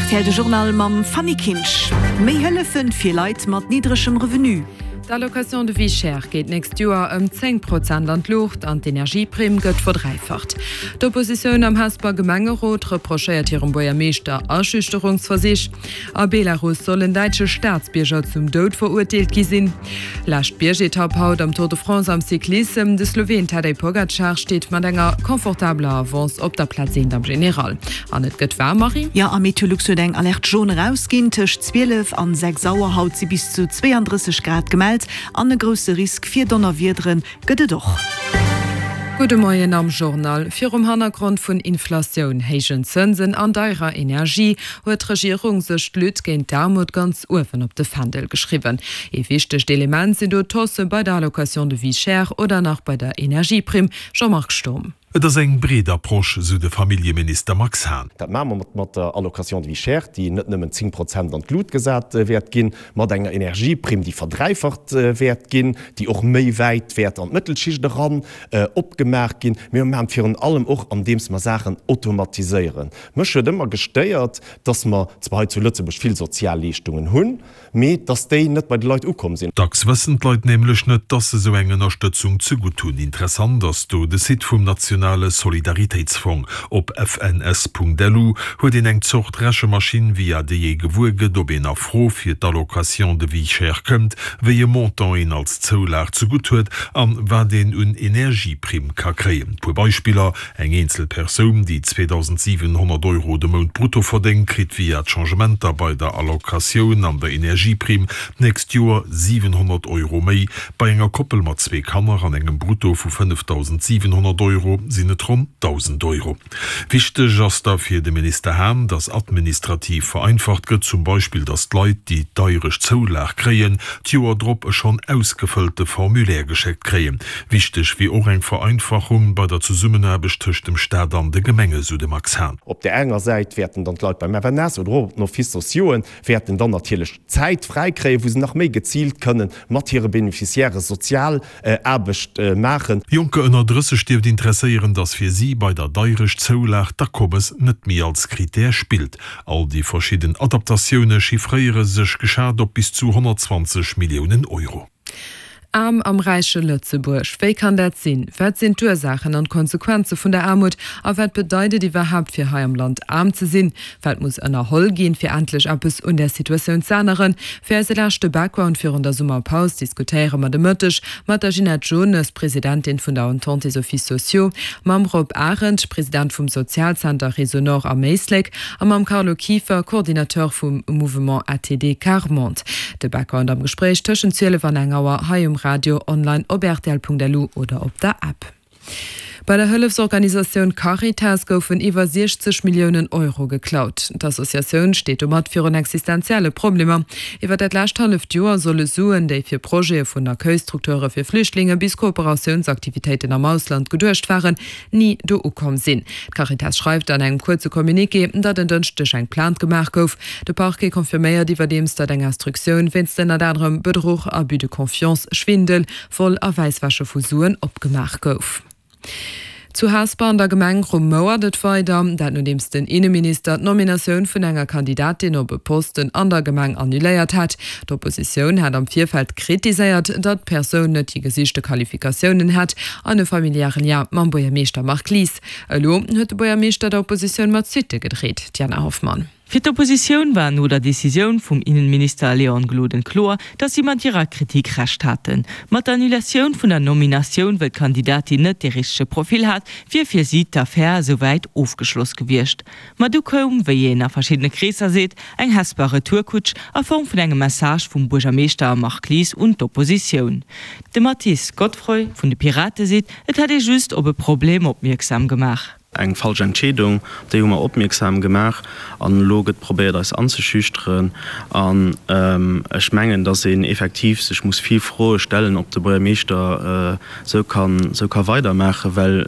Rtl de Journal mam Fanny Kinsch. Méi Hëllefen fir Leit mat niddregem Revenu. D'Allocation de vie chère geet d'nächst Joer ëm 10 Prozent an d'Luucht an d'Energieprimm gëtt verdräifacht. D'Oppositioun am Hesper Gemengerot reprochéiert hirem Buergermeeschter Aschüchterungsversich. A Belarus soll en däitsche Staatsbierger zum Doud verurteelt gi sinn. Lescht Biergetapp haut am Tour de France am Cyclissem. De Sloween Tadej Pogacar steet mat enger confortabeler Avance op der Plaz eent am General. An et gëtt waarm, Marie? Jo, a Meteolux huet eng Alerte jaune erausginn. Tëscht 12 an 6 Auer haut si bis zu 32 Grad gemellt an e grousse Risk fir Donnerwiedere gëtt et och. Gudde Moien am Journal. Virum Hannergrond vun Inflatioun, héijen Zënsen an deierer Energie huet d'Regierung sech d'Lutte géint d'Aarmut ganz uewen op de Fändel geschriwwen. Ee wichtegt Element sinn do d'Haussë bei der Allocation de vie chère oder nach bei der Energieprimm. Jean-Marc Sturm. Et ass eng breet Approche, sou de Familljeminister Max Hahn. Dat maache mer mat der Allocation de vie chère, déi net nëmmen 10 Prozent an d'Lut gesat wäert ginn, mat enger Energieprimm, déi verdräifacht wäert ginn, déi och méi wäit wäert an d'Mëttelschicht eran opgemaach ginn. Mee mer maachen et virun allem och, andeems mer Saachen automatiséieren. Mech huet ëmmer gestéiert, dass mer zwar hei zu Lëtzebuerg vill Sozialleeschtungen hunn, mee dass déi net bei de Leit ukomm sinn. Dacks wëssen d'Leit nämlech net, dass se sou eng Ënnerstëtzung zegutt hunn. Interessant ass do de Site vum nationale Solidaritéitsfong. Op fns.lu huet een eng Zort Rechemaschinn, via déi ee gewuer gëtt, ob een a Fro fir d'Allocation de vie chère kënnt, wéi e Montant een als Zoulag zegutt huet an wat een un Energieprimm ka kréien. Puer Beispiller, Eng eenzel Persoun, déi 2.700 Euro de Mount brutto verdéngt, kritt via d'Changementer bei der Allocatioun an der Energieprimm d'nächst Joer 700 Euro méi. Bei enger Koppel mat zwee Kanner an engem Brutto vu 5.700 Euro sinn et ronn 1.000 Euro. Wichteg ass da fir de Minister Hahn, datt administrativ vereinfacht gëtt, zum Beispill datt d'Leit, déi d'deiresch Zoulag kréien, d'Joer drop e schonn ausgefëllte Formulaire geschéckt kréien. Wichteg wier och eng Vereinfachung bei der Zesummenaarbecht tëscht dem Staat an de Gemenge, sou de Max Hahn. Op där enger Säit wäerten dann d'Leit beim FNS oder och op den Offices sociauxen wäerten dann natierlech Zäit fräi kréien, wou se nach méi geziilt kënnen mat hire Bénéficiairë sozial Aarbecht maachen. Jonker ënner 30 dierft interesséieren, datt fir si bei der Deirecht-Zoulag d'Akommes net méi als Critère spillt. All déi verschidden Adaptatioune chiffréiere sech geschat op bis zu 120 Milliounen Euro. Aarm am räiche Lëtzebuerg, wéi kann dat sinn? Wat sinn d'Ursaachen an d'Konsequenze vun der Aarmut? A wat bedeit et iwwerhaapt fir hei am Land aarm ze sinn? Wat muss ënnerholl ginn, fir endlech eppes un där Situatioun z'änneren? Fir eise leschte Background virun der Summerpaus diskutéiere mer de Mëtteg mat der Ginette Jones, Presidentin vun der Entente des Offices sociaux, mam Rob Arendt, President vum Sozialzenter Réseau Nord am Éislek, a mam Carlo Kieffer, Coordinateur vum Mouvement ATD Quart Monde. De Background am Gespréich tëschent 12 an eng Auer hei um Radio, online op rtl.lu oder op der App. Bei der Hëllefsorganisatioun Caritas goufen iwwer 60 Milliounen Euro geklaut. D'Associatioun steet domat virun existenzielle Problemer. Iwwer dat lescht halleft Joer solle Suen, déi fir Projete vun Accueilstrukture fir Flüchtlinge bis Kooperatiounsaktivitéiten am Ausland geduecht waren, ni do ukomm sinn. D'Caritas schreift an engem kuerze Communiqué, datt en Dënschdeg eng Plainte gemaach gouf. De Parquet confirméiert iwwerdeems, datt eng Instruktioun wéinst ënnert anerem Bedruch, Abus de confiance, Schwindel, Vol a Wäisswäsche vu Suen opgemaach gouf. Zu Hesper an der Gemeng rumouert et weider. Dat nodeems den Inneminister d'Nominatioun vun enger Kandidatin op e Posten an der Gemeng annuléiert hat. D'Oppositioun hat am Virfeld kritiséiert, datt d'Persoun net déi gesichte Qualifikatiounen hätt an e familiäre Lien mam Buergermeeschter Marc Lies. Elo huet de Buergermeeschter der Oppositioun mat Suitte gedreet. D'Jana Hoffmann. Fir d'Oppositioun war no der Decisioun vum Innenminister Léon Gloden kloer, datt si mat hirer Kritik Recht haten. Mat der Annulatioun vun der Nominatioun, wëll d'Kandidatin net dee richtege Profil hat, wier fir si d'Affär esouwäit ofgeschloss gewiescht. Ma du koum, wéi een a verschiddene Kreesser seet, eng Hesper Retourkutsch a Form vun engem Message vum Buergermeeschter Marc Lies un d'Oppositioun. De Mathis Godfroy vun de Pirate seet, et hätt ee just op e Problem opmierksam gemaach. Eng falsch Entscheedung, op déi hu mer opmierksam gemaach an elo gëtt probéiert eis anzeschüchteren. An ech mengen, datt een effektiv sech muss vill Froe stellen, ob de Buergermeeschter esou kann, esou ka weidermaachen, well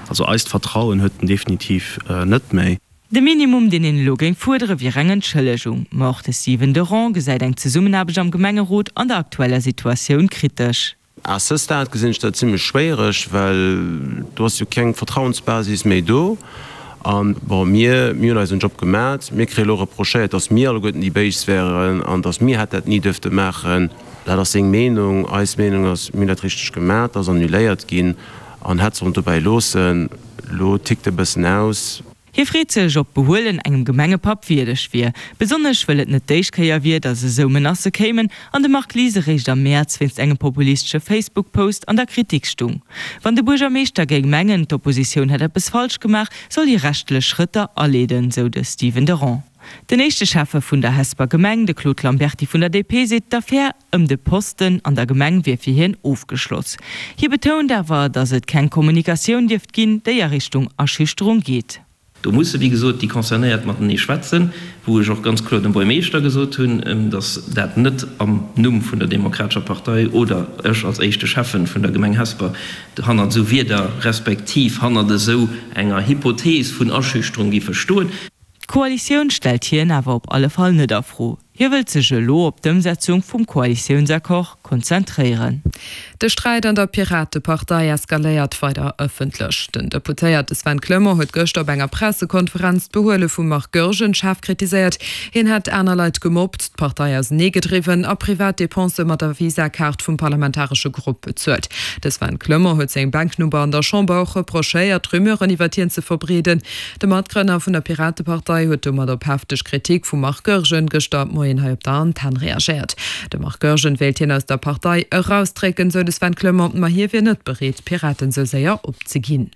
also eist Vertrauen huet en definitiv net méi. De Minimum, deen een elo géing fuerdere wier eng Entschëllegung. Ma och de Stephen Derand gesäit eng Zesummenaarbecht am Gemengerot an der aktueller Situatioun kritesch. À ce stade gesinn ech dat zimlech schwéiereg, well do ass jo keng Vertrauensbasis méi do. An, bon, mir, mir hunn eisen Job gemat. Mir kréie elo reprochéiert, datt mir alleguerten déi Béis wären an datt mir hätt dat ni duerfte maachen. Dat ass seng Meenung. Eis Meenung ass, mir hunn dat richteg gemat, dat ass annuléiert ginn an hätt sollen dobäi loossen. Elo tickt e bëssen aus. Hie freet sech, ob d'Behuelen engem Gemengepapp wierdeg wier. Besonnesch wëll et net d'éischt Kéier wier, datt esou Menacë kéimen an de Marc Lies eréischt am Mäerz wéinst engem populistesche Facebook-Post an der Kritik stung. Wann de Buergermeeschter géing mengen, d'Oppositioun hätt eppes falsch gemaach, soll hie rechtlech Schrëtter aleeden, sou de Stephen Derand. Den éischte Schäffe vun der Hesper Gemeng, de Claude Lamberty vun der DP, seet, d'Affär ëm de Posten an der Gemeng wier fir hien ofgeschloss. Hie betount awer, datt et keng Kommunikatioun dierft ginn, déi a Richtung Erschüchterung geet. Do musse wéi gesot déi Concernéiert matenee schwätzen, wou ech och ganz kloer dem Buermeeschter gesot hunn, datt dat net am Numm vun der Demokratescher Partei oder ech als éischte Schäffen vun der Gemeng Hesper hannert esou Wierder respektiv hannert esou enger Hypothees vun Erschüchterung giffe stoen. D'Koalitioun stellt hien awer op alle Fall net a Fro. Hie wëllt sech elo op d'Ëmsetzung vum Koalitiounsaccord konzentréieren. De Sträit an der Piratepartei eskaléiert weider ëffentlech. Den Deputéierte Sven Clement huet gëschter op enger Pressekonferenz d'Behuele vum Marc Goergen schaarf kritiséiert. Hien hätt aner Leit gemobbt, d'Partei auseneegedriwwen a privat Depensë mat der Visa-Kaart vum parlamentaresche Grupp bezuelt. De Sven Clement huet sengem Bänknoper an der Chamber och reprochéiert, Rumeuren iwwert hien ze verbreeden. De Matgrënner vun der Piratepartei huet domat op hefteg Kritik vum Marc Goergen gëschter Moien hei op der Antenn reagéiert. De Marc Goergen wéilt hien aus der Partei erausdrécken, sou de Sven Clement, ma hie wier net bereet, d'Piraten sou séier opzeginn.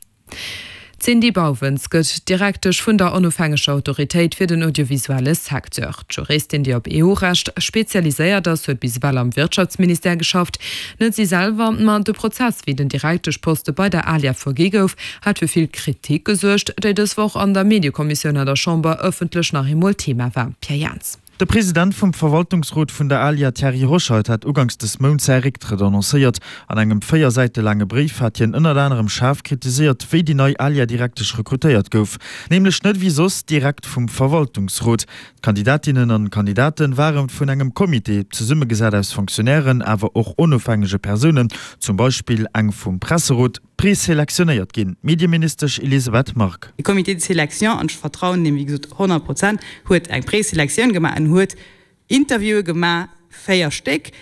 D'Cindy Bauwens gëtt Direktesch vun der onofhängeger Autoritéit fir den audiovisuelle Secteur. D'Juristin, déi op EU-Recht spezialiséiert ass, huet bis ewell am Wirtschaftsministère geschafft. Net si selwer, ma de Prozess, wéi den Direkteschposte bei der ALIA vergi gouf, hat fir vill Kritik gesuergt, déi dës Woch an der Mediekommissioun an der Chamber ëffentlech nach eemol Thema war. Pierre Jans. De President vum Verwaltungsrot vun der ALIA Thierry Hoscheit hat uganks des Mounts säi Récktrëtt annoncéiert. An engem 4 Säite laange Bréif hat hien ënnert anerem schaarf kritiséiert, wéi déi nei ALIA-Direktesch rekrutéiert gouf. Nämlech net wéi soss direkt vum Verwaltungsrot. D'Kandidatinnen an Kandidaten ware vun engem Comité, zesummegesat aus Fonctionnairen, awer och onofhängege Persounen, zum Beispill eng vum Presserot, Preselektionéiert ginn. D'Medieministesch Elisabeth Margue. De Comité de sélection, an ech vertrauen deem wéi gesot 100 Prozent, huet eng Preselektioun gemaach en huet Interviewe gemaach, 4 Stéck,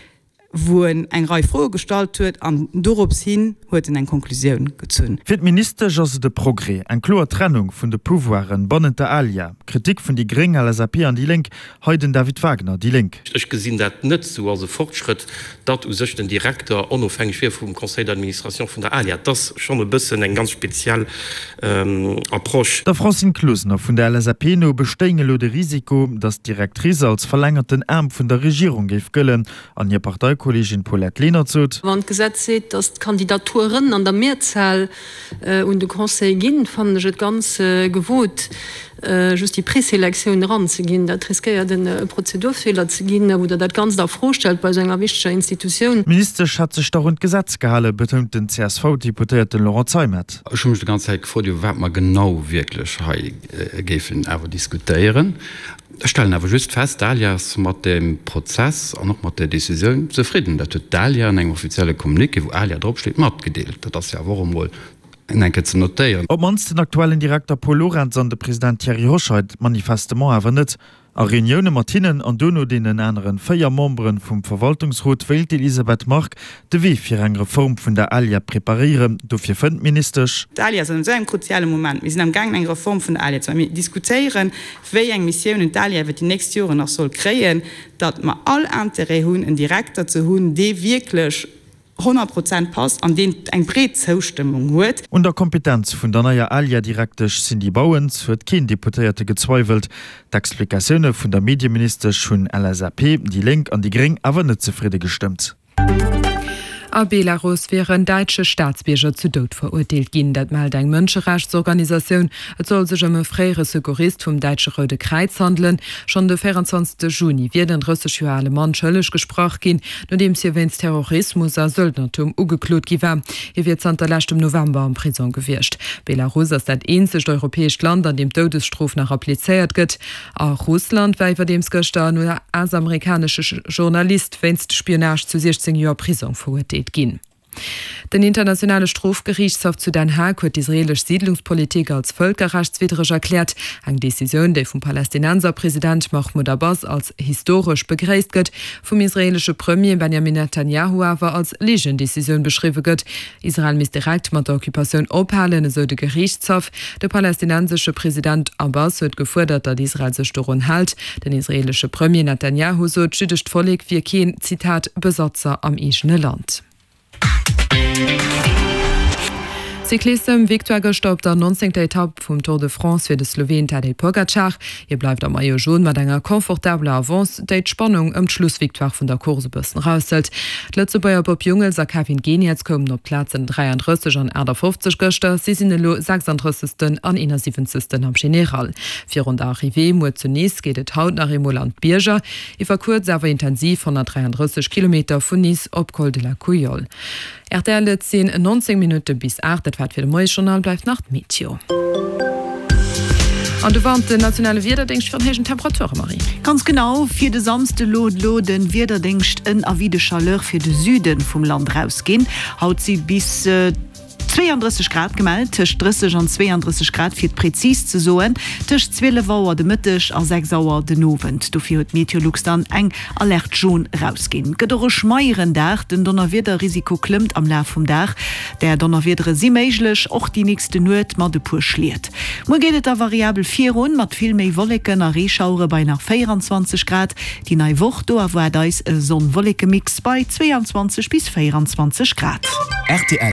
wou en eng Rei Froe gestallt huet an dorops hin huet en eng Konklusioun gezunn. Fir d'Ministesch ass et e Progrès, eng kloer Trennung vun de Pouvoiren bannent der ALIA. Kritik vun déi Gréng, LSAP an déi Lénk, hei den David Wagner, déi Lénk. Ech gesinn dat net esou als e Fortschrëtt, datt u sech den Direkter onofhängeg wier vum Conseil d'administration vun der ALIA. Dat ass schonn e bëssen eng ganz speziell Approche. Der Francine Closener vun der LSAP no bestéing elo de Risiko, datt d'Directrice als verlängerten Aarm vun der Regierung géif gëllen. An hir Parteikolleegin Paulette Lenert sot. Wann d'Gesetz seet, datt d'Kandidaturen an der Mehrzahl un de Conseil ginn, fannen ech et ganz gewot, just déi Preselektioun eranzeginn. Dat riskéiert e Prozedurfeeler ze ginn, wou Der dat Ganzt a Fro stellt bei esou enger wichteger Institutioun. D'Ministesch hätt sech dach un d'Gesetz gehalen, betount den CSV-Deputéierten Laurent Zeimet. Ech hu mech déi ganz Zäit gefrot, iwwer wat mer genau wierklech hei géifen awer diskutéieren. Ech stellen awer just fest, d'ALIA ass mat deem Prozess an och mat där Décisioun zefridden. Dat huet d'ALIA an engem offizielle Communiqué, wou ALIA dropsteet, matgedeelt. Dat ass jo awer och emol eng Kéier ze notéieren. Op d'mannst den aktuellen Direkter Paul Lorentz an de President Thierry Hoscheit manifestement awer net. A Reunioune mat hinnen an duerno deenen aneren 4 Membere vum Verwaltungsrot wéilt d'Elisabeth Margue de Wee fir eng Reform vun der ALIA preparéieren. Dofir fënnt d'Ministesch. D'ALIA ass an esou engem kruziale Moment. Mir sinn am gaangen eng Reform vun der ALIA ze maachen. Mir diskutéieren, wéi eng Missiounen d'ALIA iwwer déi nächst Joren nach soll kréien, datt mer all Intérêt hunn, en Direkter ze hunn, dee wierklech 100 Prozent passt an deen eng breet Zoustëmmung huet. Un der Kompetenz vun der neier ALIA-Direktesch Cindy Bauwens huet keen Deputéierte gezweiwelt. D'Explikatioune vun der Medieministesch hunn LSAP, déi Lénk an déi Gréng awer net zefridde gestëmmt. A Belarus wier en däitsche Staatsbierger zu Doud verurteelt ginn. Dat mellt eng Mënscherechtsorganisatioun. Et soll sech ëm e fréiere Secourist vum däitsche Roude Kräiz handelen. Schonn de 24 Juni wier den 30 Joer ale Mann schëlleg gesprach ginn, nodeems hie wéinst Terrorismus a Söldnertum ugeklot gi war. Hie wier zanter leschtem November am Prisong gewiescht. Belarus ass dat eenzegt europäescht Land, an deem d'Doudesstrof nach applizéiert gëtt. A Russland war iwwerdeems gëschter en US-amerikanesche Journalist wéinst Spionage zu 16 Joer Prisong verurteelt ginn. Den Internationale Strofgeriichtshaff zu Den Haag huet d'israeelesch Siidlungspolitik als vëlkerrechtswiddreg erkläert. Eng Decisioun, déi vum Palästinenserpresident Mahmoud Abbas als historesch begréisst gëtt, vum israeelesche Premier Benjamin Netanjahu awer als Ligendecisioun beschriwwe gëtt. Israel misst direkt mat der Occupatioun ophalen, esou de Geriichtshaff. De palästinensesche President Abbas huet gefuerdert, datt Israel sech dorun hält. Den israeelesche Premier Netanjahu sot, d'jüddescht Vollek wier keen, Zitat, Besatzer am eegene Land. Cyclissem, Victoire gëschter op der 19. Etapp vum Tour de France fir de Sloween Tadej Pogacar. Hie bleift am Maillot Jaune mat enger confortabeler Avance, déi d'Spannung ëm d'Schlussvictoire vun der Course e bëssen eraushëlt. D'Lëtzebuerger Bob Jungels a Kevin Geniets koumen op d'Plazen 33 an 58 gëschter. Si sinn elo 36. an 71. am General. Virun der Arrivée muer zu Nice geet et haut nach eemol an d'Bierger. Iwwer kuerz awer intensiv 133 Kilometer vun Nice op Col de la Couillole. Rtl, Et sinn 19 Minutte bis 8, dat war et fir de Moiesjournal. Bleift nach d'Meteo. An du warnt den nationale Wiederdéngscht virun héijen Temperature, Marie. Ganz genau, fir de Samsde looht elo de Wiederdéngscht en Avis de chaleur fir de Süde vum Land erausginn. Haut si bis. 32 Grad gemellt, tëscht 30 an 32 Grad fir et prezis ze soen, tëscht 12 Auer de Mëtteg a 6 Auer den Owend. Dofir huet Meteolux dann eng Alerte jaune erausginn. Et gëtt och e schmeieren Dag, den Donnerwiederrisiko klëmmt am Laf vum Dag. Där Donnerwiedere si méiglech, och déi nächste Nuet mat e puer Schliet. Muer geet et da variabel virun, mat vill méi Wolleken a Reeschauere bei nach 24 Grad. Déi nei Woch, do erwaart eis e Sonn-Wolleke-Mix bei 22 bis 24 Grad. Rtl.